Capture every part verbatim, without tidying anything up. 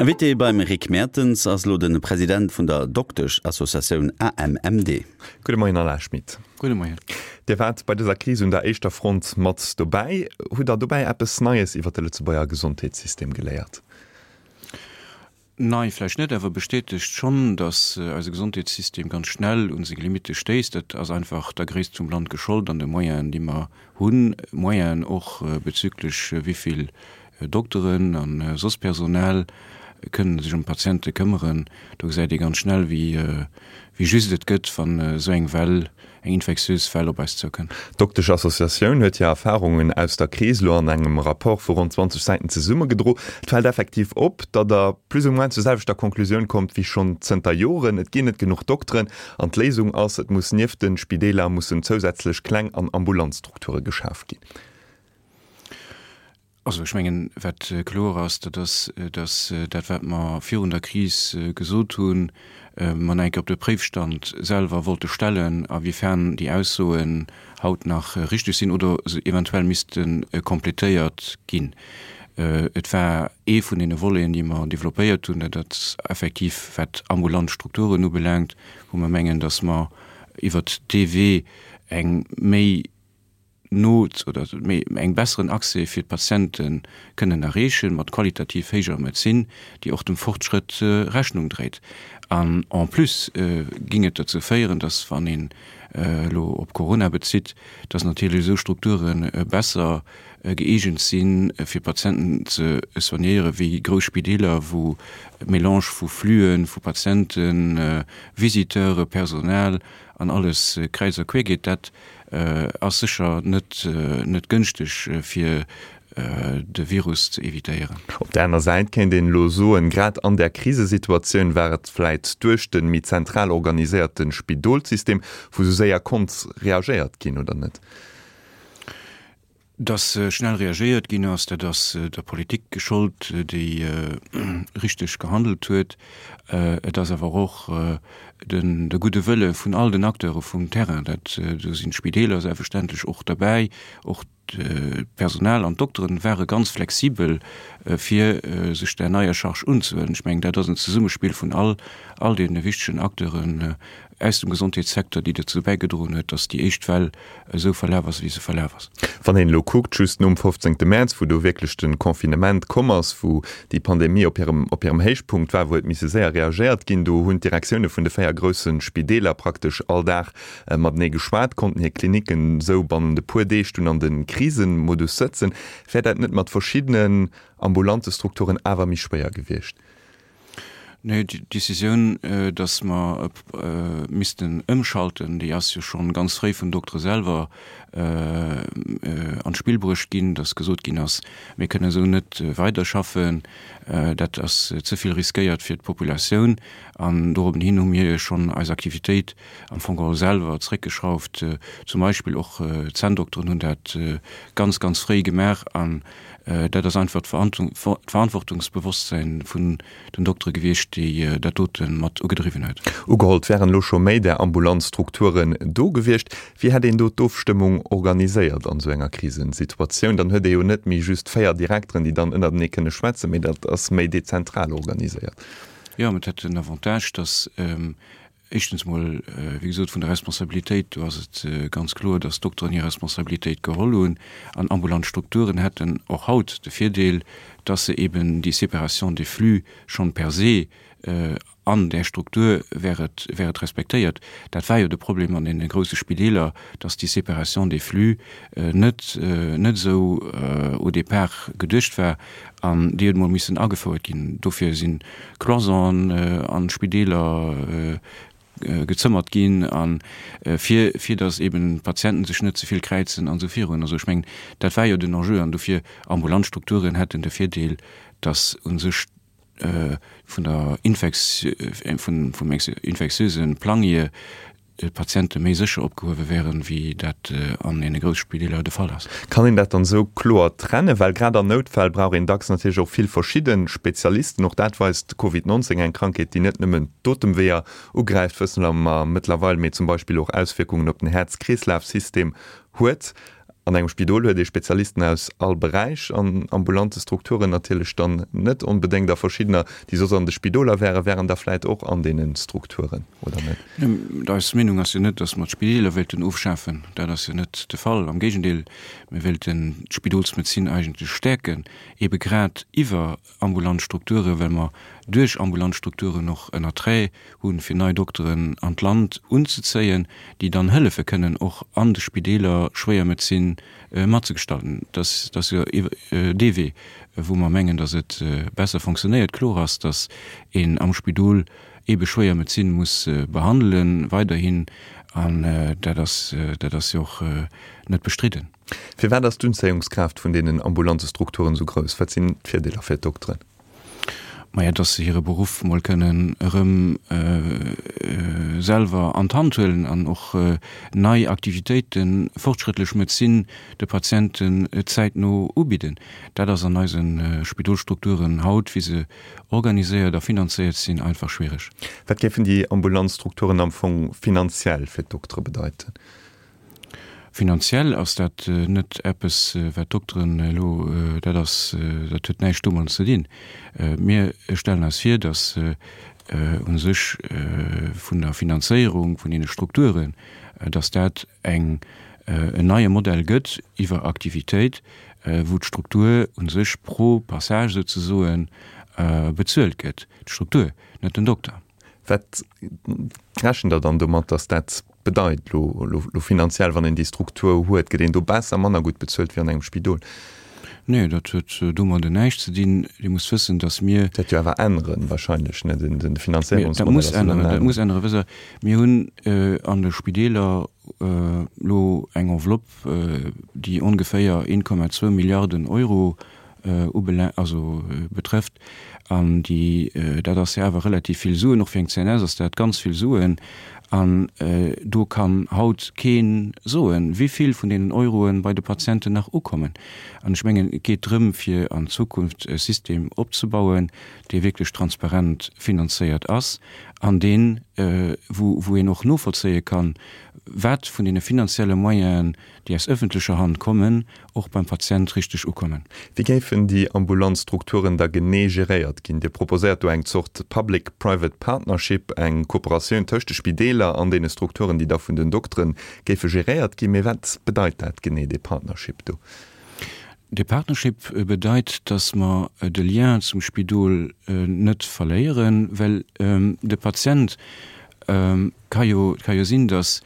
Invité beim Rick Mertens ass elo de President vun der Dokteschassociatioun AMMD. Gudde Moien Alain Schmit. Gudde Moien. Dir waart bei dëser Kris un der éischter Front mat dobäi. Hutt Der dobäi eppes Neies iwwer de Lëtzebuerger Gesondheetssystem geléiert? Nei vläicht net, awer bestätegt schonn, datt eise Gesondheetssystem ganz schnell un seng Limitte stéisst. Dat ass einfach der Gréisst vum Land geschollt an de Moyenen, déi mer hunn, Moyenen och bezüglech wéi vill Dokteren a soss Personal kënnen sech ëm d'Patiente këmmeren. Do gesäit ee ganz schnell, wéi wéi just et gëtt, wann esou eng Well, eng infektiös Well op eis zoukënnt. D'Dokteschassociatioun huet hir Erfarungen aus der Kris elo an engem Rapport vu ronn zwanzeg Säiten zesummegedro. Et fält effektiv op, datt Der plus ou moins zur selwechter Konklusioun kommt wéi schonn zënter Joren, Et ginn net genuch Dokteren an d'Léisung ass, et muss nieft de Spideeler mussen zousätzlech kleng an ambulant Strukture geschaf ginn. Also ech mengen, wat kloer ass, dat ass, datt dat, wat mer virun der Kris gesot hunn, mer nach eng Kéier op de Préifstand selwer wollte stellen, awiefern déi Aussoen haut nach richtig sinn oder se eventuell misste complétéiert ginn. Et war ee vun deene Voleten, déi mer développéiert hunn, dat ass effektiv, wat ambulant Strukturen ubelaangt, wou mer mengen, datt mer iwwert dee Wee eng méi no oder méi eng besseren Accès fir d'Patiente kënnen erreechen, mat qualitativ héijer Medezin, déi och dem Fortschrëtt Rechnung dréit. An en plus géing et dozou féieren, dass, wann een elo op Corona bezitt, dass natierlech esou Strukture besser gëeegent sinn, fir Patienten ze soignéieren, wéi grouss Spideeler, wou Mélange vu Flüe vu Patienten, Visiteure, Personal an alles kräiz a quer geet. Dat ass sécher net net gënschteg fir de Virus ze evitéieren. Op där aner Säit kéint een elo soen, grad an där Krisesituatioun war et vläit duerch de méi zentral organiséierte Spidolssystem, wou sou séier konnt reagéiert ginn, oder net? Dass schnell reagéiert ginn ass, dat ass der Politik geschollt, déi richteg gehandelt huet. Et ass awer och de gudde Wëlle vun all den Acteure vum Terrain. Dat, do sinn d'Spideeler selbstverständlech och derbäi, och d'Personal an d'Dokteren ware ganz flexibel, fir sech där neier Charge unzehuelen. Ech mengen, dat ass en Zesummespill vun all all deene wichtegen Acteuren aus dem Gesondheetssecteur, déi dozou bäigedroen huet, dass déi éischt Well esou verlaf ass, wéi se verlaf ass. Wann een elo kuckt, just nom fofzéngte Mäerz, wou do wierklech de Confinement komm ass, wou déi Pandemie op hirem op hirem Héichpunkt war, wou huet misse séier reagéiert ginn, do hunn d'Direktioune vun de véier grousse Spideeler praktesch all Dag matenee geschwat, konnten hir Klinicken esou bannent e puer Deeg dunn an de Krisemodus sëtzen. Wär dat net mat verschiddenen ambulante Strukturen awer méi schwéier gewiescht? Nee, déi Décisioun, datt mer missten ëmschalten, déi ass jo schonn ganz fréi vun Doktere selwer an d'Spill bruecht ginn, datt gesot ginn ass, mir kënnen esou net weiderschaffen, dat ass ze vill riskéiert fir d'Populatioun. An dorobben hin hu mir jo schonn eis Aktivitéit am Fong geholl selwer zréckgeschrauft. Zum Beispill och d'Zänndokteren hunn dat ganz, ganz fréi gemaach. An dat ass einfach d'Verantwortungsbewosstsäin vun den Doktere gewiescht, déi dat dote mat ugedriwwen huet. Ugeholl, et wären elo scho méi där ambulant Strukturen do gewiescht. Wéi hätt een do d'Ofstëmmung organiséiert an esou enger Krisensituatioun? Dann huet ee jo net méi just véier Direkteren, déi dann ënnertenee kënne schwätzen, mee dat ass méi dezentral organiséiert. Jo, mä et hätt den Avantage, datt Éischtens mol, wéi gesot, vun der Responsabilitéit, do ass et ganz kloer, dass d'Dokteren hir Responsabilitéit geholl hunn. An ambulant Strukturen hätten och haut de Virdeel, dass se eben déi Séparation des flux schonn per se an där Struktur wär et, wär et respektéiert. Dat war jo de Problem an deene grouse Spideeler, dass déi Séparation des flux net, net esou au départ geduecht war an déi huet emol missen agefouert ginn. Dofir si Cloisonen an d'Spideeler gezëmmert ginn a fir, fir datt eben d'Patienten sech net ze vill kräizen an esou virun. Also ech mengen, dat war jo den Enjeu an dofir ambulant Strukturen hätten de Virdeel, datt u sech vun der Infeks, vun, vum infektiöse Plang hier d'Patiente méi sécher opgehuewe wären, wéi dat an deene grousse Spideeler de Fall ass. Kann een dat dann esou kloer trennen? Well grad an Noutfäll brauch een dacks natierlech och vill verschidde Spezialisten. Och dat weist Covid neunzéng, eng Krankheet, déi net nëmmen d'Otemweeër ugräift, wësse mer mëttlerweil, mee zum Beispill och Auswierkungen op den Häerz-Kreeslaf-System huet. An engem Spidol huet ee Spezialisten aus all Beräich, an ambulante Strukturen natierlech dann net onbedéngt, a verschiddener, déi soss an de Spidoler wären, wären da vläit och an deene Strukturen, oder net? Eis Meenung ass jo net, datt mer d'Spideeler wéilten ofschafen. Dat ass jo net de Fall. Am Géigendeel, mir wéilten d'Spidolsmedezin eigentlech stäerken, eebe grad iwwer ambulant Strukturen, well mer duerch ambulant Strukturen och en Attrait hunn, fir nei Dokteren an d'Land unzezéien, déi dann hëllefe kënnen, och an de Spideeler Schwéiermedezin matzegestalten. Dat ass jo dee Wee, wou mer mengen, datt et besser fonctionnéiert. Kloer ass, datt een am Spidol eebe Schwéiermedezin muss behandelen, weiderhin, an dat ass, dat ass jo och net bestridden. Firwat ass d'Unzéiungskraaft vun deenen ambulante Strukturen esou grouss? Wat sinn d'Virdeeler fir d'Dokteren? Maja, dass se hire Beruff mol kënnen erëm selwer an d'Hand huelen an och nei Aktivitéiten, fortschrëttlech Medezin de Patienten zäitno ubidden. Dat ass an eise Spidolsstrukturen haut, wéi se organiséiert a finanzéiert sinn, einfach schwiereg. Wat géifen déi ambulant Strukturen am Fong finanziell fir d'Doktere bedeiten? Finanziell ass dat net eppes, wat d'Dokteren elo, dat ass, dat huet näischt domadden ze dinn. Mir stellen eis vir, datt u sech vun der Finanzéierung vun deene Strukturen, datt dat eng, en neie Modell gëtt iwwer Aktivitéit, wou d'Struktur u sech pro Passage souzesoen bezuelt gëtt, d'Struktur, net den Dokter. Wat rechent Der dann domat, datt dat bedeit lo, lo, lo finanziell, wann een déi Struktur huet? Gëtt een do besser, manner gutt bezuelt wéi an engem Spidol? Nee, dat huet domadder näischt ze dinn. Dir musst wëssen, datt mir. Dat wäert jo awer änneren wahrscheinlech, ne, den, den Finanzéierungsmodell. Dat muss änneren, dat muss änneren. Wësst Der, mir hunn an de Spideeler elo eng Enveloppe, déi ongeféier een Komma zwou Milliarden Euro ubelaangt, also betrëfft, an déi, dat ass jo awer relativ vill Suen, och fir eng C N S ass dat ganz vill Suen, an do kann haut kee soen, wéi vill vun deenen Euroe bei de Patienten nach ukommen. An ech mengen, et geet drëm, fir an Zukunft e System opzebauen, dee wierklech transparent finanzéiert ass an deen, wou wou een och novollzéie kann, wat vun deene finanzielle Moyenen, déi aus öffentlecher Hand kommen, och beim Patient richteg ukommen. Wéi géifen déi ambulant Strukturen da genee geréiert ginn? Dir proposéiert do eng Zort Public-Private Partnership, eng Kooperatioun tëscht de Spideeler an deene Strukturen, déi da vun den Dokteren géife geréiert ginn. Mee wat bedeit dat genee, dee Partnership do? Dee Partnership bedeit, dass mer de Lien zum Spidol net verléieren, well de Patient ka jo, et ka jo sinn, dass,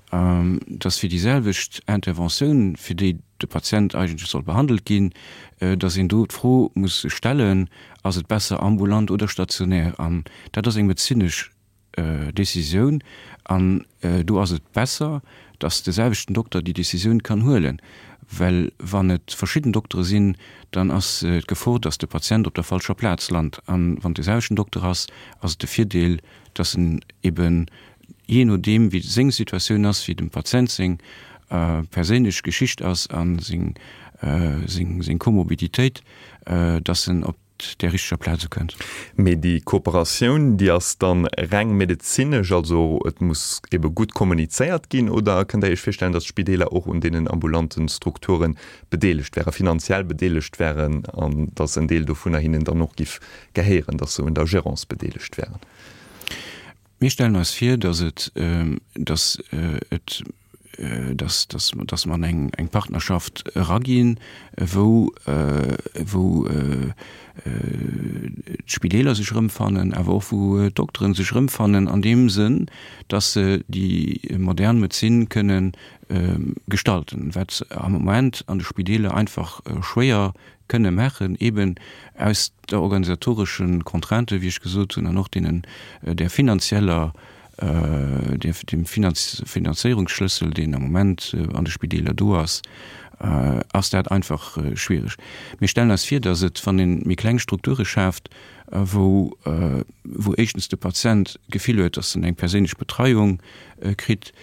dass fir déi selwecht Interventioun, fir déi de Patient eigentlech soll behandelt ginn, dass een do d'Fro muss stellen, Ass et besser ambulant oder stationär? An dat ass eng medezinesch Décisioun an do ass et besser, dass de selwechten Dokter déi Décisioun kann huelen, well wann et verschidden Doktere sinn, dann ass d'Gefor, dass de Patient op der falscher Plaz lant. An wann et de selwechten Dokter ass, ass et de Virdeel, dass en eben, jee nodeem wéi seng Situatioun ass, wéi dem Patient seng perséinlech Geschicht ass a seng seng Komorbiditéit, dass en op där richteger Plaz ukënnt. Mee déi Kooperatioun, déi ass dann reng medezinesch, also et muss ebe gutt kommunizéiert ginn, oder kënnt Der Iech virstellen, datt d'Spideeler och un deenen ambulanten Strukture bedeelegt wären, finanziell bedeelegt wären, an datt en Deel dovunner hinnen dann och giff gehéieren, datt se un der Gérance bedeelegt wären? Mir stellen eis vir, datt et, datt et, datt, datt, datt mer an eng, eng Partnerschaft eraginn, wou, wou d'Spideeler sech erëmfannen, awer och wou d'Dokteren sech erëmfannen an deem Sënn, datt se déi modern Medezin kënne gestalten, wat se am Moment an de Spideeler einfach schwéier kënne maachen, eben aus der organisatoreschen Contrainte, wéi ech gesot hunn, an och deenen, där finanzieller, dem Finanzéierungsschlëssel, deen am Moment an de Spideeler do ass, ass dat einfach schwierig. Mir stellen eis vir, dass et, wann ee méi kleng Strukture schaaft, wou, wou éischtens de Patient d'Gefill huet, dass en eng perséinlech Betreiung kritt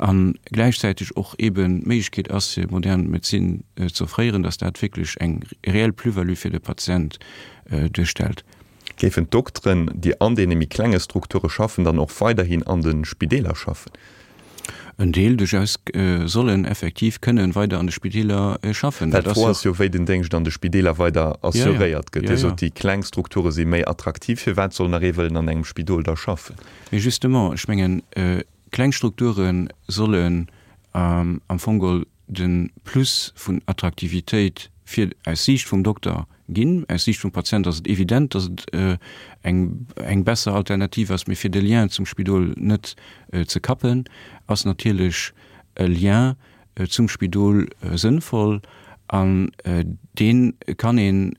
a gläichzäiteg och eeben d'Méiglechkeet ass, fir modern Medezin ze offréieren, dass dat wierklech eng reell Plus-value fir de Patient duerstellt. Géifen d'Dokteren, déi an deene méi klenge Strukture schaffen, dann och weiderhin an de Spideeler schaffen? en Deel duerchaus sollen effektiv kënnen weider an de Spideeler schaffen. Well d'Fro ass jo, wéi den Déngscht an de Spideeler weider assuréiert gëtt. Dir sot, déi kleng Strukture si méi attraktiv. Firwat soll nach ee wëllen an engem Spidol da schaffen? Mee justement, ech mengen, kleng Strukture sollen am Fong geholl de Plus vun Attraktivitéit fir aus Siicht vum Dokter ginn. Aus Siicht vum Patient ass et evident, datt et eng eng besser Alternativ ass, mee fir de Lien zum Spidol net ze kappen, ass natierlech e Lien zum Spidol sënnvoll an dee kann een,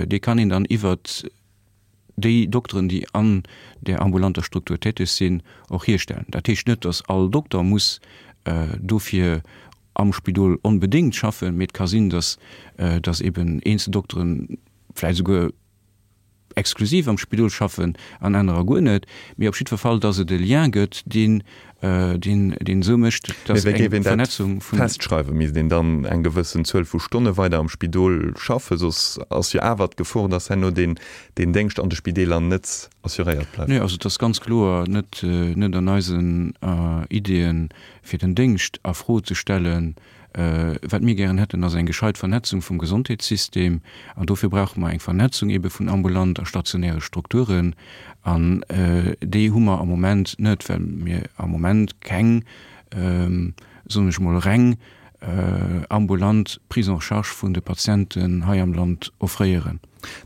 dee kann een dann iwwert déi Dokteren, déi an där ambulanter Struktur täteg sinn, och hierstellen. Dat heescht net, datt all Dokter muss dofir am Spidol onbedéngt schaffen, mee et ka sinn, datt datt eben eenzel Dokteren vläicht esouguer exklusiv am Spidol schaffen an anerer guer net, mee op jiddwer Fall, datt et e Lien gëtt, deen deen deen esou mécht, Mee datt wéi géif eng een dat Vernetzung vun. festschreiwen? Misst een dann eng gewëssen Zuel vu Stonne weider am Spidol schaffen? Soss ass jo awer d'Gefor, datt herno deen deen Déngscht an de Spideeler net assuréiert bleift. Nee, also et ass ganz kloer net net an eisen Ideeën, fir den Déngscht a Fro ze stellen. Wat mir gären hätten, ass eng gescheit Vernetzung vum Gesondheetssystem. An dofir brauche mer eng Vernetzung ebe vun ambulant a stationäre Strukturen. An déi hu mer am Moment net, well mir am Moment keng, soen ech mol, reng ambulant Prise en charge vun de Patienten hei am Land offréieren.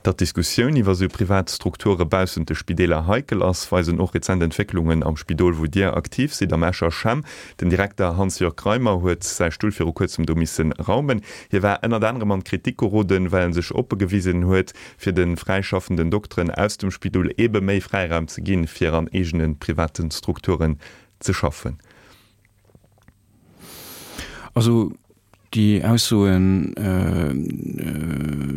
Datt d'Diskussioun iwwer esou privat Strukture baussent de Spideeler heikel ass, weisen och rezent Entwécklungen am Spidol, wou Dir aktiv sidd, am Escher CHEM. Den Direkter Hans-Jörg Reimer huet säi Stull viru kuerzem do misse raumen. Hie war ënnert anerem an d'Kritik geroden, well en sech oppe gewisen huet, fir de fräischaffenden Dokteren aus dem Spidol eebe méi Fräiraum ze ginn, fir an eegene private Strukturen ze schaffen. Also déi Aussoen,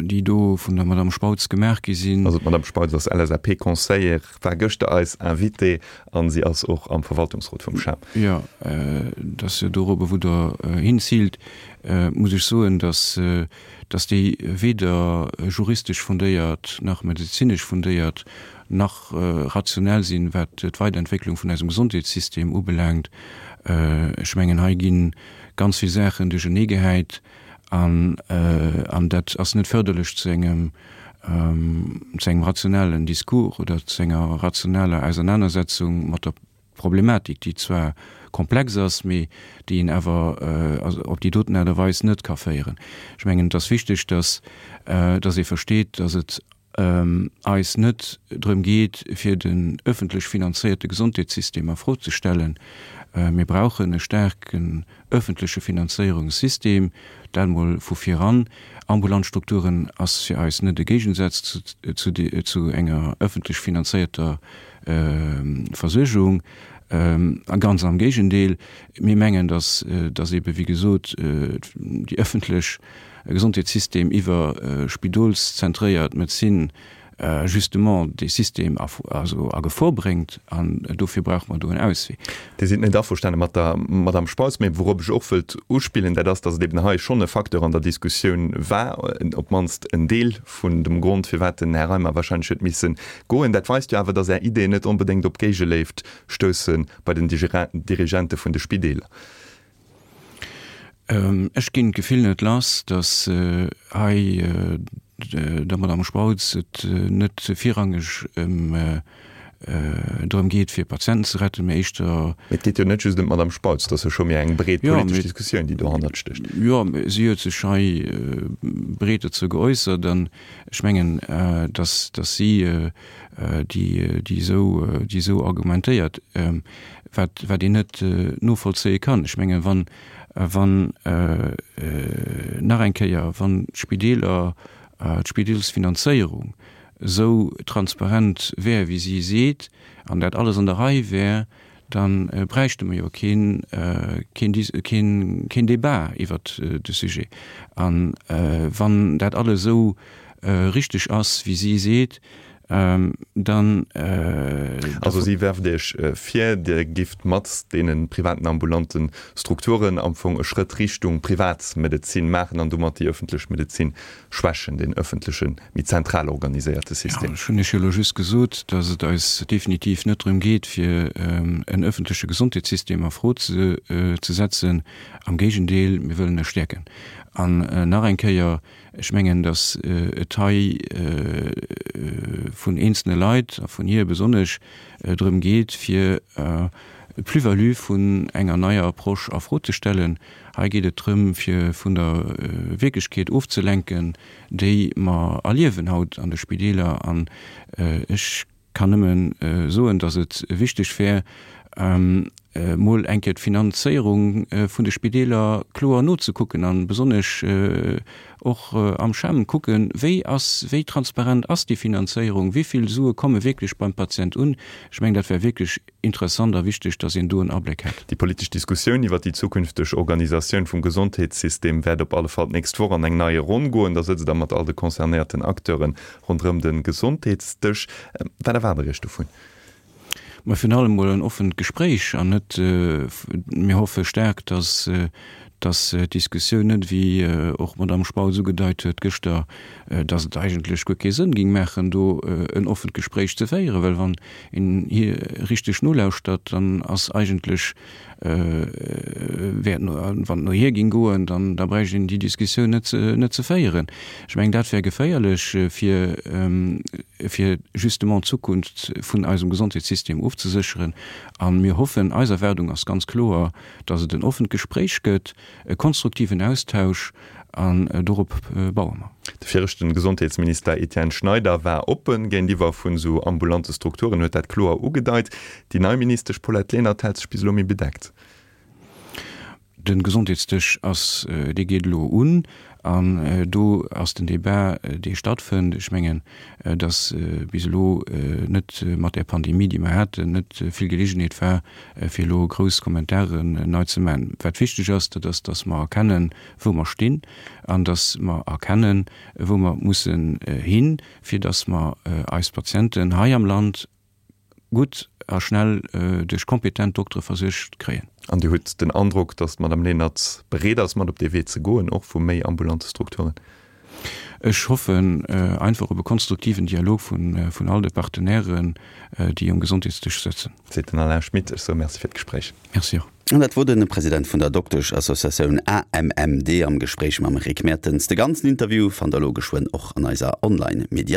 déi do vun der Madame Spautz gemaach gi sinn. Also d'Madame Spautz ass L S A P-Conseillère, war gëschter eis Invitée a si ass och am Verwaltungsrot vum CHEM. Jo, dat ass jo dorobber, wou Der hinziilt, muss ech soen, dass dass déi weder juristesch fundéiert nach medezinesch fundéiert nach rationell sinn, wat d'Weiderentwécklung vun eisem Gesondheetssystem ubelaangt. Ech mengen, hei gi ganz vill Saachen duercheneegehäit an dat ass net förderlech zu engem, zu engem rationellen Discours oder zu enger rationaler Ausernanersetzung mat der Problematik, déi zwar komplex ass, mee déi een awer op déi doten Aart a Weis net ka féieren. Ech mengen, et ass wichteg, dass, dass ee versteet, dass et eis net drëm geet, fir den öffentlech finanzéierte Gesondheetssystem a Fro ze stellen. Mir brauchen e staarken öffentleche Finanzéierungssystem, dat emol vu viran. Ambulant Strukturen ass fir eis net e Géigensaz zu enger öffentlech finanzéierter Versuergung. A ganz am Géigendeel, mir mengen, dass, dass eebe wéi gesot déi öffentlech Gesondheetssystem iwwer spidolszentréiert Medezin justement dee System a, also a Gefor bréngt an dofir brauche mer do en Auswee. Dir sidd net averstane mat der Madame Spautz, mee wourop ech och wëllt uspillen, dat ass, dass et eben hei schonn e Facteur an der Diskussioun war, op d'mannst en Deel vun dem Grond, firwat den Här Reimer wahrscheinlech huet misse goen. Dat weist jo awer, dass Är Ideeën net onbedéngt op Géigeléift stousse bei den Dirigente vun de Spideeler. Ech ginn d'Gefill net lass, datt hei der Madame Spautz et net virrangeg ëm drëm geet, fir Patienten ze retten, mä éischter. Mee et geet jo net just ëm d'Madame Spautz, et ass jo scho méi eng breet politesch Diskussioun, déi dohannert stécht. Jo, mä si huet sech hei breet dozou geäussert an ech mengen, datt si déi esou argumentéiert, wat een net novollzéie kann. Ech mengen, wann, wann nach eng Kéier, wann d'Spideeler, d'Spidelsfinanzéierung esou transparent wär, wéi si seet, an dat alles an der Rei wär, da bräichte mer jo keen, keen, keen Débat iwwert de Sujet. A wann dat alles esou richteg ass, wéi si seet, Dann. Also si werft Iech vir, Dir gifft mat deene privaten ambulante Strukturen am Fong e Schrëtt Richtung Privatmedezin maachen an domat déi ëffentlech Medezin schwächen, deen ëffentlechen, méi zentral organiséierte System. Jo, ech hunn Iech jo elo just gesot, datt et eis definitiv net drëm geet, fir en ëffentleche Gesondheetssystem a Fro ze setzen. Am Géigendeel, mir wëllen e stäerken. An nach eng Kéier, ech mengen, datt et hei vun eenzelne Leit, a vun hir besonnesch, drëm geet, fir d'Plus-value vun enger neier Approche a Fro ze stellen. Hei geet et drëm, fir vun der Wierklechkeet ofzelenken, déi mer erliewen haut an de Spideeler. An ech kann nëmme soen, datt et wichteg wär, mol eng Kéier d'Finanzéierung vun de Spideeler kloer nozekucken a besonnesch och am CHEM kucken, wéi ass, wéi transparent ass déi Finanzéierung, wéi vill Sue komme wierklech beim Patient un. Ech mengen, dat wär wierklech interessant a wichteg, datt een do en Abléck hätt. Déi politesch Diskussioun iwwer déi zukünfteg Organisatioun vum Gesondheetssystem wäert op alle Fall d'nächst Woch an eng nei Ronn goen. Da sëtzt Der mat all de concernéierten Acteure ronderëm de Gesondheetsdësch. Wat erwaart Der Iech dovun? Mä virun allem mol en offent Gespréich an net, mir hoffe staark, dass, dass d'Diskussioun net, wéi och d'Madame Spautz ugedeit huet gëschter, dass et eigentlech guer kee Sënn géing maachen, do en offent Gespréich ze féieren, well wann een hir richteg nolauschtert, dann ass eigentlech, wär et no, wann et no hir géing goen, dann da bräicht een déi Diskussioun net ze, net ze féieren. Ech mengen, dat wär geféierlech, fir, fir justement d'Zukunft vun eisem Gesondheetssystem ofzesécheren. A mir hoffen, eis Erwaardung ass ganz kloer, datt et en offent Gespréich gëtt, e konstruktiven Austausch, an dorop baue mer. De viregten Gesondheetsminister Etienne Schneider war oppen géintiwwer vun esou ambulante Strukturen, huet dat kloer ugedeit. Déi nei Ministesch Paulette Lenert hält sech bis elo méi bedeckt. De Gesondheetsdësch ass, dee geet elo un an do ass den Débat, dee stattfënnt. Ech mengen, datt bis elo net mat där Pandemie, déi mer haten, net vill Geleegenheet war, fir elo grouss Kommentaren nei ze maachen. Wat wichteg ass, dat ass, datt mer erkennen, wou mer stinn an datt mer erkennen, wou mer mussen hin, fir datt mer eis Patienten hei am Land gutt a schnell duerch kompetent Doktere versuergt kréien. An Dir hutt den Androck, datt d'Madame Lenert bereet ass, mat op dee Wee ze goen, och vu méi ambulante Strukturen? Ech hoffen einfach op e konstruktiven Dialog vun all de Partenairen, déi um Gesondheetsdësch sëtzen. Seet den Alain Schmit. Ech soe Merci fir d'Gespréich. Merci och. An dat wor de President vun der Dokteschassociatioun A M M D am Gespréich mam Rick Mertens. De ganzen Interview fannt der elo geschwënn och an eiser Online-Mediathéik.